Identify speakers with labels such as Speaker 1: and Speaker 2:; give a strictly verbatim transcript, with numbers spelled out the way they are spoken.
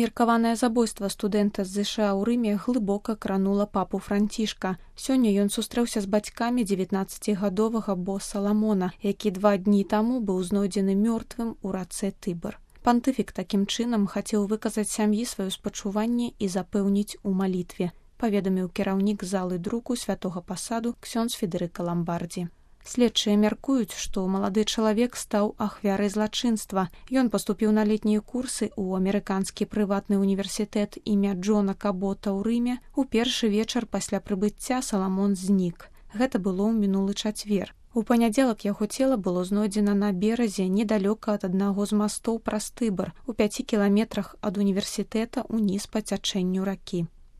Speaker 1: Меркаванае забойства студэнта з ЗША ў Рыме глыбока кранула папу Францішка. Сёння ён сустрэўся з бацькамі дзевятнаццацігадовага боса Ламона, які два дні таму быў знойдзены мёртвым у рацэ Тыбар. Пантыфік такім чынам хацеў выказаць сям'і сваё спачуванне і запэўніць у малітве, паведаміў кіраўнік залы друку святога пасаду ксёндз Федэрыка Ламбардзі. Следчыя мяркуюць, што малады чалавек стаў ахвярай злачынства. Ён паступіў на летнія курсы ў амерыканскі прыватны універсітэт імя Джона Кабота ў Рыме. У першы вечар пасля прыбыцця Саламон знік. Гэта было ў мінулы чацвер. У панядзелак яго цела было знойдзена на беразе недалёка ад аднаго з мастоў праз Тыбар, у пяці кіламетрах ад універсітэта ўніз па цячэнню ракі.